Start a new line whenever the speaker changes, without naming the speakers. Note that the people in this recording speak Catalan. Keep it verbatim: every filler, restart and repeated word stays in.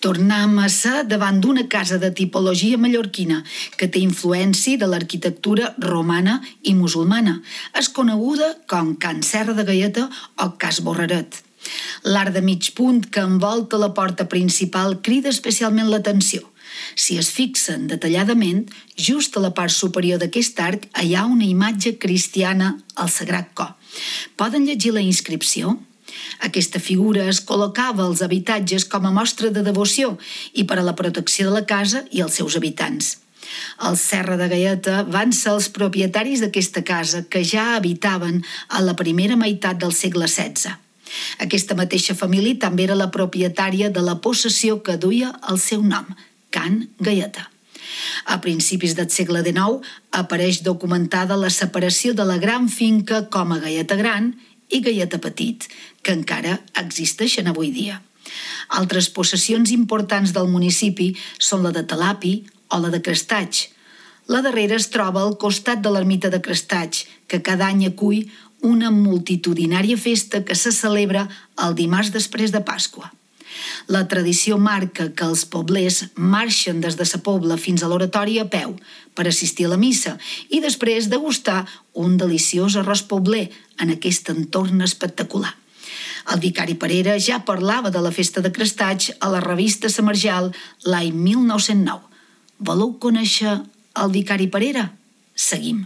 Tornem a ser davant d'una casa de tipologia mallorquina que té influència de l'arquitectura romana i musulmana. És coneguda com Can Serra de Gaieta o Cas Borreret. L'arc de mig punt que envolta la porta principal crida especialment l'atenció. Si es fixen detalladament, just a la part superior d'aquest arc hi ha una imatge cristiana al Sagrat Cor. Poden llegir la inscripció? Aquesta figura es col·locava als habitatges com a mostra de devoció i per a la protecció de la casa i els seus habitants. Els Serra de Gaieta van ser els propietaris d'aquesta casa que ja habitaven a la primera meitat del segle setze. Aquesta mateixa família també era la propietària de la possessió que duia el seu nom, Can Gaieta. A principis del segle dinou apareix documentada la separació de la gran finca com a Gaieta Gran i Gaieta Petit, que encara existeixen avui dia. Altres possessions importants del municipi són la de Talapi o la de Crestatx. La darrera es troba al costat de l'ermita de Crestatx, que cada any acull una multitudinària festa que se celebra el dimarts després de Pasqua. La tradició marca que els poblers marxen des de sa pobla fins a l'oratori a peu per assistir a la missa i després degustar un deliciós arròs pobler en aquest entorn espectacular. El vicari Parera ja parlava de la festa de Crestatx a la revista Sa Marjal l'any mil nou-cents nou. Voleu conèixer el vicari Parera? Seguim.